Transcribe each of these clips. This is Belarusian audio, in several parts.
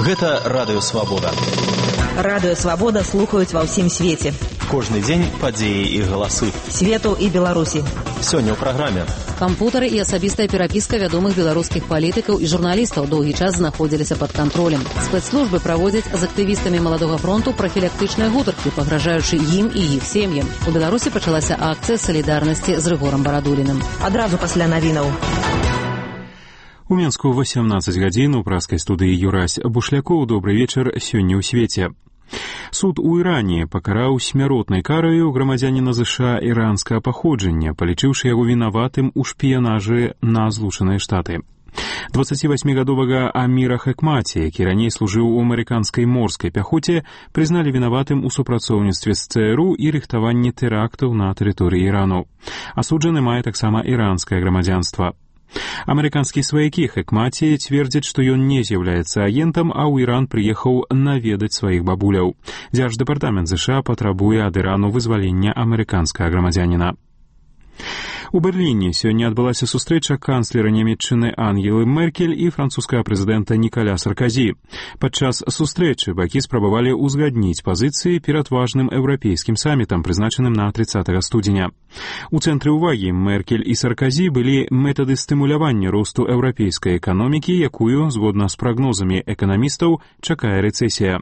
Гэта Радыё Свабода. Радыё Свабода слухаюць ва ўсім свеце. Кожны дзень падзеі і галасы. Свету і Беларусі. Сёння ў праграме. Кампутары і асабістая перапіска вядомых беларускіх палітыкаў і журналістаў доўгі час знаходзіліся пад кантролем. Спецслужбы праводзяць з актывістамі Маладога фронту прафілактычныя гутаркі, пагражаючы ім і іх сем'ям. У Беларусі пачалася акцыя салідарнасці з Рыгорам Барадуліным. Адразу пасля навінаў. У Менску 18 гадзін у праскай студыі Юрась Бушлякоў. Добры вечар сёння ў свеце. Суд у Іране пакараў смяротнай караю грамадзяніна ЗША іранскага паходжання, палічыўшы яго вінаватым у шпіянажы на Злучаныя Штаты. 28-гадовага Аміра Хекмаці, які раней служыў у амерыканскай морскай пяхоце, прызналі вінаватым у супрацоўніцтве з ЦРУ і рыхтаванні тэрактаў на тэрыторыі Ірану. Асуджаны мае таксама іранскае грамадзянства. Амерыканскія сваякі Хекмаці цвердзяць, што ён не з'яўляецца агентам, а ў Іран прыехаў наведаць сваіх бабуляў. Дзярждэпартамент ЗША патрабуе ад Ірану вызвалення амерыканскага грамадзяніна. У Берліне сёння адбылася сустрэча канцлера Нямецчыны Ангелы Меркель і французскага прэзідэнта Нікаля Сарказі. Падчас сустрэчы бакі спрабавалі ўзгадніць пазіцыі перад важным еўрапейскім самітам, прызначаным на 30 студзеня. У цэнтры ўвагі Меркель і Сарказі былі метады стымулявання росту еўрапейскай эканомікі, якую, згодна з прагнозамі эканамістаў, чакае рэцэсія.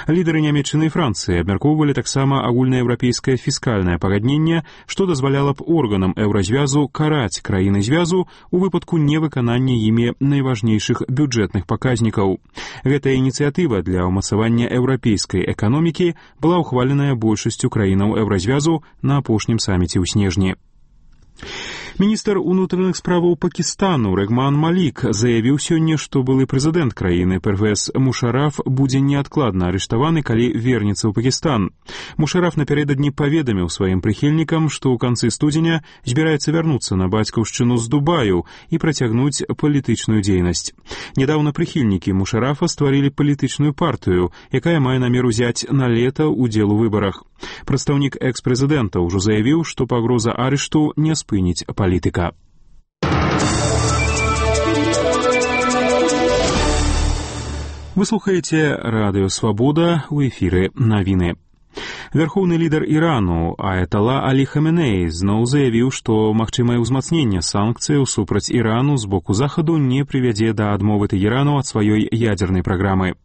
Лідары Нямецчыны і Францыі абмяркоўвалі таксама агульнаеўрапейскае фіскальнае пагадненне, што дазваляла б органам еўразвязу караць краіны звязу у выпадку невыканання імі найважнейшых бюджэтных паказнікаў. Гэтая ініцыятыва для ўмацавання еўрапейскай эканомікі была ўхваленая большасцю краінаў еўразвязу на апошнім саміце ў снежні. Міністр унутраных справаў Пакістану Рэгман Малік заявіў сёння, што былы прэзідэнт краіны Первез Мушараф будзе неадкладна арыштаваны, калі вернецца ў Пакістан. Мушараф напярэдадні паведаміў сваім прыхільнікам, што ў канцы студзеня збіраецца вярнуцца на бацькаўшчыну з Дубаю і працягнуць палітычную дзейнасць. Нядаўна прыхільнікі Мушарафа стварылі палітычную партыю, якая мае намер узяць на лета ўдзел у выбарах. Прадстаўнік экс-прэзідэнта ўжо заявіў, што пагроза арышту не спыніць палітыка. Вы слухаеце Радыё Свабода, у эфіры навіны. Вярхоўны лідар Ірану Аятала Алі Хаменеі зноў заявіў, што магчымае ўзмацненне санкцыяў супраць Ірану з боку Захаду не прывядзе да адмовы Тэхерану ад сваёй ядзернай праграмы.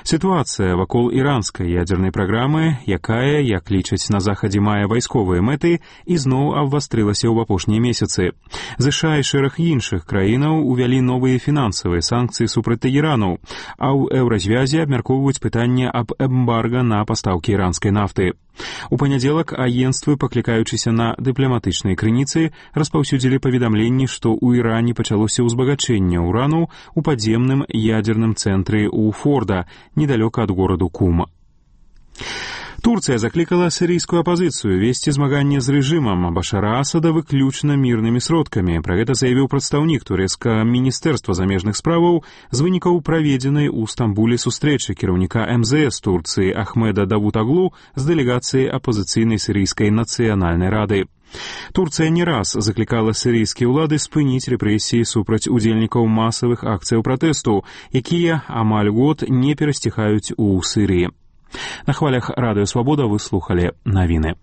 Сітуацыя вакол іранскай ядзернай праграмы, якая, як лічаць на Захадзе, мае вайсковыя мэты, ізноў абвастрылася ў апошнія месяцы. ЗША і шэраг іншых краінаў увялі новыя фінансавыя санкцыі супраць Тэхерану, а ў еўразвязе абмяркоўваюць пытанне аб эмбарга на пастаўкі іранскай нафты. У панядзелак агенцтвы, паклікаючыся на дыпламатычныя крыніцы, распаўсюдзілі паведамленні, што ў Іране пачалося ўзбагачэнне ўрану ў падземным ядзерным цэнтры ў Форда, недалёка ад гораду Кум. Турцыя заклікала сірыйскую апазіцыю весці змаганне з рэжымам Башара Асада выключна мірнымі сродкамі. Пра гэта заявіў прадстаўнік турэцкага міністэрства замежных справаў з вынікаў праведзенай у Стамбуле сустрэчы кіраўніка МЗС Турцыі Ахмеда Давутаглу з дэлегацыяй апазіцыйнай сірыйскай нацыянальнай рады. Турцыя не раз заклікала сірыйскія ўлады спыніць рэпрэсіі супраць удзельнікаў масавых акцыяў пратэсту, якія амаль год не перасціхаюць у Сірыі. На хвалях Радыё Свабода вы слухалі навіны.